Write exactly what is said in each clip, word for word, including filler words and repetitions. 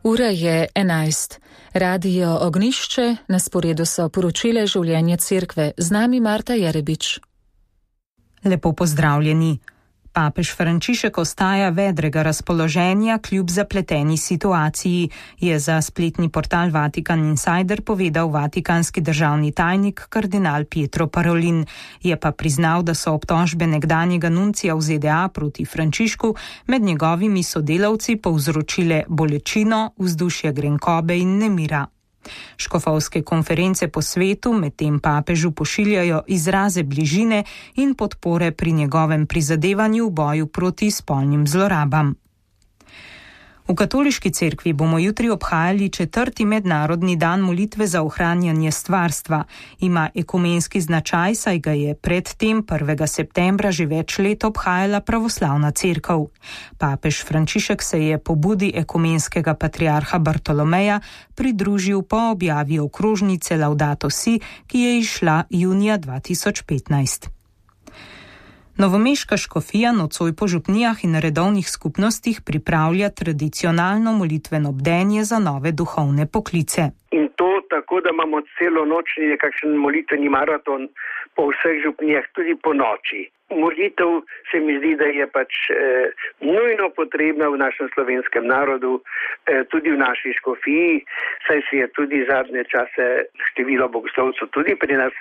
Ura je enajst. Radio Ognjišče, na sporedu so poročile življenje cerkve. Z nami Marta Jerebič. Lepo pozdravljeni. Papež Frančišek ostaja vedrega razpoloženja kljub zapleteni situaciji, je za spletni portal Vatikan Insider povedal vatikanski državni tajnik kardinal Pietro Parolin. Je pa priznal, da so obtožbe nekdanjega nuncija v Z D A proti Frančišku med njegovimi sodelavci povzročile bolečino, vzdušje grenkobe in nemira. Škofovske konference po svetu medtem papežu pošiljajo izraze bližine in podpore pri njegovem prizadevanju v boju proti spolnim zlorabam. V katoliški cerkvi bomo jutri obhajali četrti mednarodni dan molitve za ohranjanje stvarstva. Ima ekumenski značaj, saj ga je predtem prvega septembra že več let obhajala pravoslavna cerkev. Papež Frančišek se je pobudi ekumenskega patriarha Bartolomeja pridružil po objavi okrožnice Laudato Si, ki je izšla junija dva tisoč petnajst. Novomeška škofija nocoj po župnijah in redovnih skupnostih pripravlja tradicionalno molitveno bdenje za nove duhovne poklice. In to tako, da imamo celo noč nekakšen molitveni maraton po vseh župnijah, tudi po noči. Molitev se mi zdi, da je pač eh, nujno potrebna v našem slovenskem narodu, eh, tudi v naši škofiji, saj se je tudi zadnje čase število bogoslovcev tudi pri nas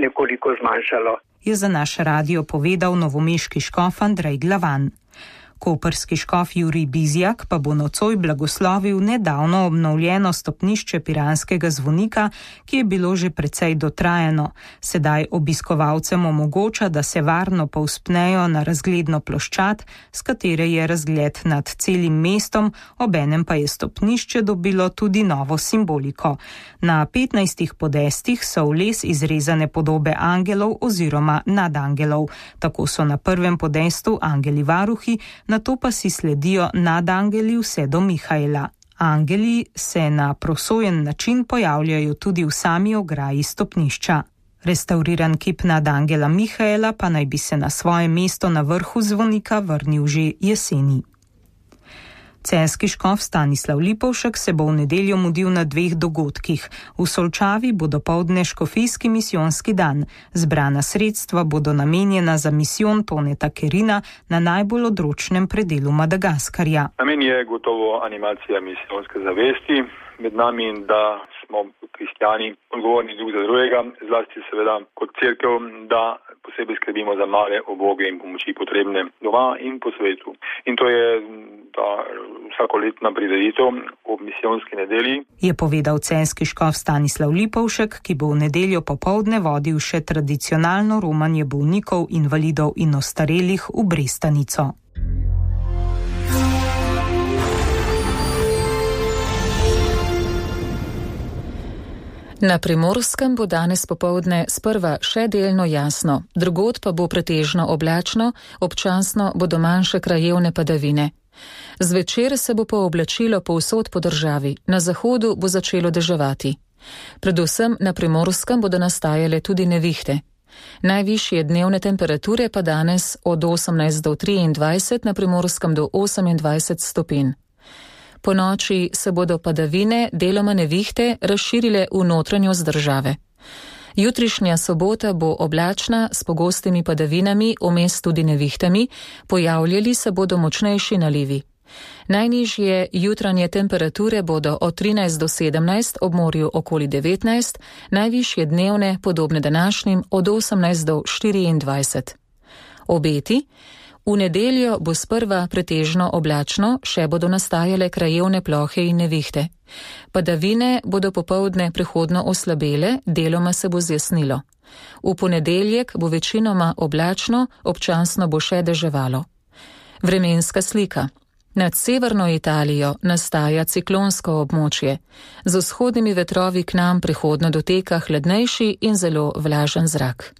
nekoliko zmanjšalo. Je za naš radio povedal novomeški škof Andrej Glavan. Koprski škof Jurij Bizjak pa bo nocoj blagoslovil nedavno obnovljeno stopnišče piranskega zvonika, ki je bilo že precej dotrajano. Sedaj obiskovalcem omogoča, da se varno povzpnejo na razgledno ploščad, s katere je razgled nad celim mestom, obenem pa je stopnišče dobilo tudi novo simboliko. Na petnajstih podestih so v les izrezane podobe angelov oziroma nadangelov. Tako so na prvem podestu angeli varuhi, nato pa si sledijo nadangeli vse do Mihaela. Angeli se na prosojen način pojavljajo tudi v sami ograji stopnišča. Restavriran kip nadangela Mihaela pa naj bi se na svoje mesto na vrhu zvonika vrnil že jeseni. Celjski škof Stanislav Lipovšek se bo v nedeljo mudil na dveh dogodkih. V Solčavi bo dopoldne škofijski misijonski dan. Zbrana sredstva bodo namenjena za misijon Toneta Kerina na najbolj odročnem predelu Madagaskarja. Namen je gotovo animacija misijonske zavesti med nami in da smo kristjani odgovorni drug za drugega, zlasti seveda kot cerkev, da posebej skrbimo za male, uboge in pomoči potrebne doma in po svetu. In to je ta vsakoletna prireditev ob misijonski nedelji. Je povedal celjski škof Stanislav Lipovšek, ki bo v nedeljo popoldne vodil še tradicionalno romanje bolnikov, invalidov in ostarelih v Brestanico. Na Primorskem bo danes popoldne sprva še delno jasno, drugod pa bo pretežno oblačno, občasno bodo manjše krajevne padavine. Zvečer se bo pooblačilo povsod po državi, na zahodu bo začelo deževati. Predvsem na Primorskem bodo nastajale tudi nevihte. Najvišje dnevne temperature pa danes od osemnajst do triindvajset, na Primorskem do osemindvajset stopinj. Po noči se bodo padavine, deloma nevihte, razširile v notranjost države. Jutrišnja sobota bo oblačna s pogostimi padavinami, vmes tudi nevihtami, pojavljali se bodo močnejši nalivi. Najnižje jutranje temperature bodo od trinajst do sedemnajst, ob morju okoli devetnajst, najvišje dnevne, podobne današnjim, od osemnajst do štiriindvajset. Obeti. V nedeljo bo sprva pretežno oblačno, še bodo nastajale krajevne plohe in nevihte. Padavine bodo popoldne prehodno oslabele, deloma se bo zjasnilo. V ponedeljek bo večinoma oblačno, občasno bo še deževalo. Vremenska slika. Nad severno Italijo nastaja ciklonsko območje. Z vzhodnimi vetrovi k nam prehodno doteka hladnejši in zelo vlažen zrak.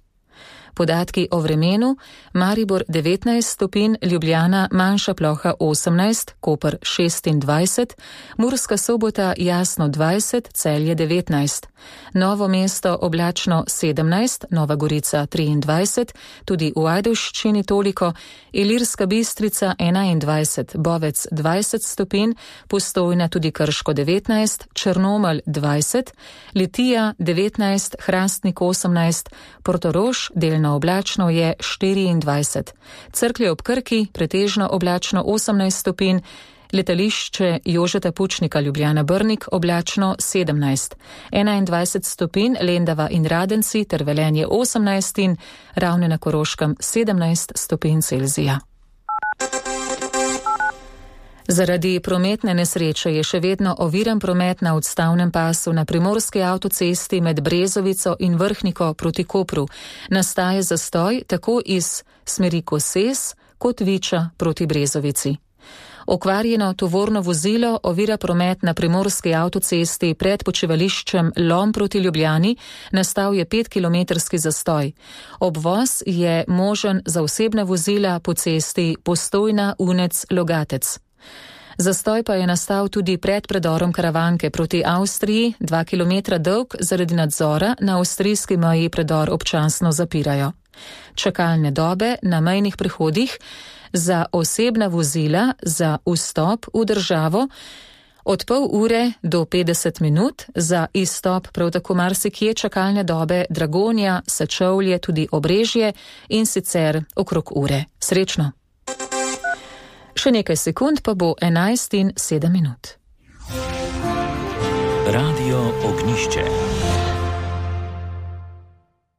Podatki o vremenu: Maribor devetnajst stopinj, Ljubljana manjša ploha osemnajst, Koper šestindvajset, Murska Sobota jasno dvajset, Celje devetnajst, Novo mesto oblačno sedemnajst, Nova Gorica triindvajset, tudi v Ajdovščini toliko, Ilirska Bistrica enaindvajset, Bovec dvajset stopinj, Postojna tudi Krško devetnajst, Črnomelj dvajset, Litija devetnajst, Hrastnik osemnajst, Portorož delno oblačno je štiriindvajset, Cerklje ob Krki pretežno oblačno osemnajst stopinj, Letališče Jožeta Pučnika Ljubljana Brnik oblačno sedemnajst, enaindvajset stopinj Lendava in Radenci ter Velenje osemnajst in Ravne na Koroškem sedemnajst stopinj Celzija. Zaradi prometne nesreče je še vedno oviran promet na odstavnem pasu na primorski avtocesti med Brezovico in Vrhniko proti Kopru. Nastaja zastoj tako iz smeri Koses kot Viča proti Brezovici. Okvarjeno tovorno vozilo ovira promet na primorski avtocesti pred počivališčem Lom proti Ljubljani, nastal je petkilometrski zastoj. Obvoz je možen za osebna vozila po cesti Postojna Unec Logatec. Zastoj pa je nastal tudi pred predorom Karavanke proti Avstriji, dva kilometra dolg, zaradi nadzora na avstrijski meji predor občasno zapirajo. Čakalne dobe na mejnih prehodih za osebna vozila za vstop v državo od pol ure do petdeset minut, za izstop prav tako marsikje čakalne dobe Dragonja, Sečovlje, tudi Obrežje in sicer okrog ure. Srečno! Še nekaj sekund pa bo enajst in sedem minut. Radio Ognjišče.